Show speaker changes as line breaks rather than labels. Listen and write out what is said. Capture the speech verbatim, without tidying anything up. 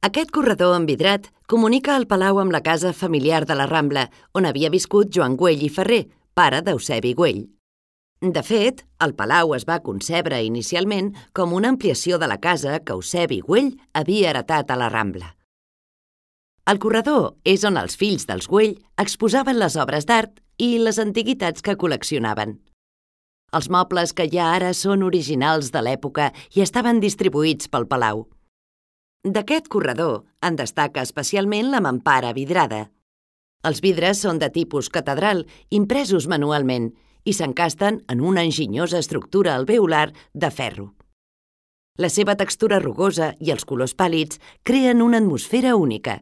Aquest corredor envidrat comunica el palau amb la casa familiar de la Rambla, on havia viscut Joan Güell i Ferrer, pare d'Eusebi Güell. De fet, el palau es va concebre inicialment com una ampliació de la casa que Eusebi Güell havia heretat a la Rambla. El corredor és on els fills dels Güell exposaven les obres d'art i les antiguitats que col·leccionaven. Els mobles que hi ha ara són originals de l'època i estaven distribuïts pel palau. D'aquest corredor en destaca especialment la mampara vidrada. Els vidres són de tipus catedral, impresos manualment, i s'encasten en una enginyosa estructura alveolar de ferro. La seva textura rugosa i els colors pàl·lids creen una atmosfera única.